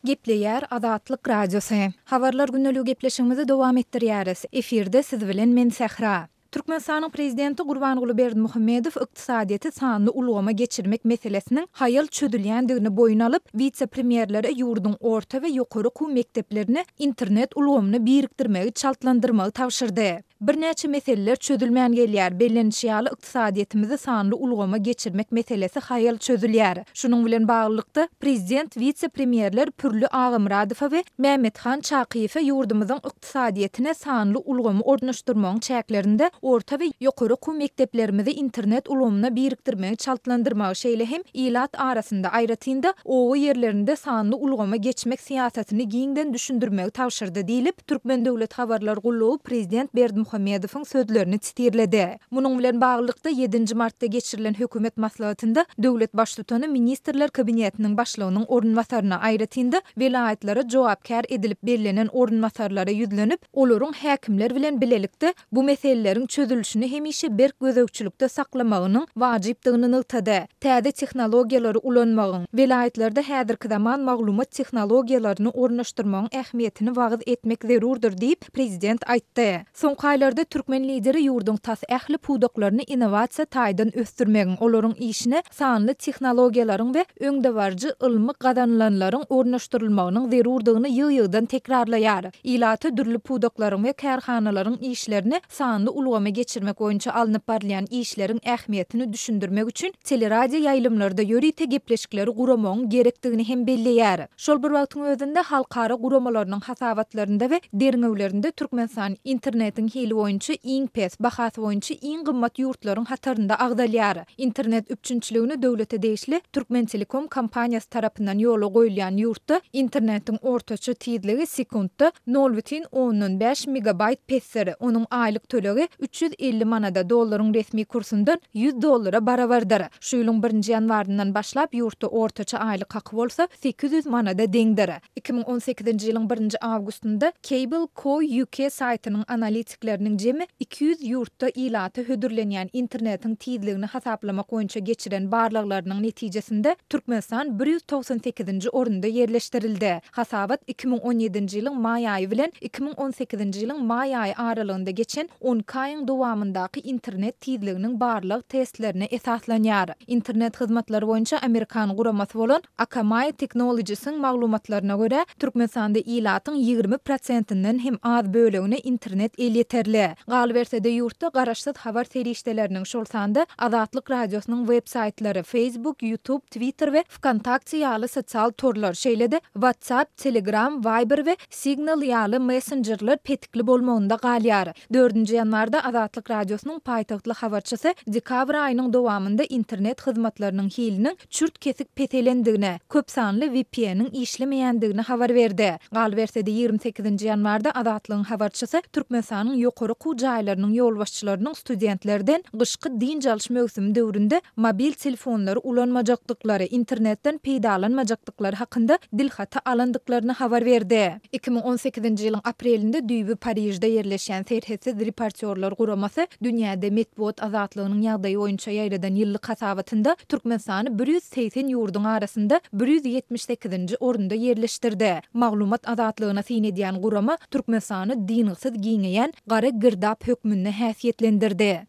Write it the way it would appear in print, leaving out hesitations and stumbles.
Gepleýär Azatlyk Radiosy. Habarlar gündeligi gepleşigimizi dowam etdirýäris. Efirde siz bilen men Sähra. Türkmenistanyň Prezidenti Gurbanguly Berdimuhamedow ykdysadyýeti sanly ulgama geçirmek meselesiniň haýal çözülýändigini boýun alyp, wise-premýerlere ýurduň orta we ýokary okuw mekdeplerini internet ulgamyna birikdirmegi çaltlandyrmagy tabşyrdy. Birnäçe meseleler çözülmän gelýär. Bellenişi ýaly, ykdysadyýetimizi sanly ulgama geçirmek meselesi haýal çözülýär. Şunuň bilen baglylykda, prezident wise-premýerler Pürli Agamyradowa we Mämmethan Çakyýewe ýurdumyzyň ykdysadyýetine sanly ulgamy ornaşdyrmagyň çäklerinde orta we ýokary okuw mekdeplerimizi internet ulgamyna birikdirmegi çaltlandyrmagy, şeýle hem ilat arasynda, aýratyn-da, oba ýerlerinde sanly ulgama geçmek syýasatyny giňden düşündirmegi tabşyrdy diýlip, Türkmen döwlet habarlar gullugy prezident Berdimuhamedowyň sözlerini sitirledi. Munuň bilen baglylykda, ýedinji martda geçirilen hökümet maslahatynda döwlet Baştutany Ministrler Kabinetiniň Başlygynyň orunbasaryna, aýratyn-da, welaýatlara jogapkär edilip bellenen orunbasarlara ýüzlenip, olaryň häkimler bilen bilelikde bu meseleleriň çözülişini hemişe berk gözegçilikde saklamagynyň wajypdygyny nygtady. Täze tehnologiýalary ulanmagyň, welaýatlarda häzirki zaman maglumat tehnologiýalaryny ornaşdyrmagyň ähmiýetini wagyz etmek zerurdyr diýip, prezident aýtdy. Soňky aýlarda türkmen Lideri ýurduň tas ähli pudaklaryny innowasiýa taýdan ösdürmegiň, olaryň işine sanly tehnologiýalaryň we öňdebaryjy ylmy gazanylanlaryň ornaşdyrylmagynyň zerurdygyny ýygy-ýygydan tekrarlaýar. Ilata dürli pudaklaryň we kärhanalaryň işlerini sanly ulgama geçirmek boýunça alnyp barylýan işleriň ähmiýetini düşündirmek üçin teleradio ýaýlymlarda ýörite gepleşikleri guramagyň gerekdigini hem belleýär. Şol bir wagtyň özünde, halkara guramalarynyň hasabatlarynda we derňewlerinde Türkmenistan internetiň hili boýunça iň pes, bahasy boýunça iň gymmat ýurtlaryň hatarynda agzalýar. Internet üpjünçiligini döwlete degişli Türkmentelekom kompaniýasy tarapyndan ýola goýulýan ýurtda internetiň ortaça tizligi sekuntda nol bütin ondan bäş megabaýt pesdir. Onuň aýlyk tölegi 350 manada, dollaryň resmi kursundan 100 dollara barabardyr. Şu ýylyň birinji ýanwaryndan başlap ýurtda ortaça aýlyk haky bolsa 800 manada deňdir. 2018-nji ýylyň birinji awgustynda Cable Co UK saýtynyň analitikleriniň jemi 200 ýurtda ilata hödürlenýän internetiň tizligini hasaplamak boýunça geçiren barlaglarynyň netijesinde Türkmenistan 198-nji orunda ýerleşdirildi. Hasabat 2017-nji ýylyň maý aýy bilen 2018-nji ýylyň maý aýy aralygynda geçen 12 aýyň dowamyndaky internet tizliginiň barlag testlerine esaslanýar. Internet hyzmatlary boýunça amerikan guramasy bolan Akamai Technologies-iň maglumatlaryna görä, Türkmenistanda ilatyň 20 prosentinden hem az bölegine internet elýeterli. Galyberse-de, ýurtda garaşsyz habar serişdeleriniň, şol sanda Azatlyk Radiosynyň web-saýtlary, Facebook, YouTube, Twitter we Wkontakte ýaly sosial torlar, şeýle-de WhatsApp, Telegram, Viber we Signal ýaly messenjerler petikli bolmagynda galýar. Dördünji ýanwarda Azatlyk Radiosynyň paýtagtly habarçysy dekabr aýynyň dowamynda internet hyzmatlarynyň hiliniň çürt-kesik peselendigini, köp sanly VPN-iň işlemeýändigini habar berdi. Galyberse-de, 28-nji ýanwarda Azatlygyň habarçysy Türkmenistanyň ýokary okuw jaýlarynyň ýolbaşçylarynyň studentlerden gyşky dynç alyş möwsümi döwründe mobil telefonlary ulanmajakdyklary, internetden peýdalanmajakdyklary hakynda dilhaty alandyklaryny habar berdi. 2018-nji ýylyň aprelinde düýbi Parižde ýerleşýän Serhetsiz reportýorlar guramasy dünýäde metbugat azatlygynyň ýagdaýy boýunça ýaýradan ýyllyk hasabatynda Türkmenistany 180 ýurduň arasynda 178-nji orunda ýerleşdirdi. Maglumat azatlygyna syn edýän gurama Türkmenistany dyngysyz giňeýän gara girdap hökmünde häsiýetlendirdi.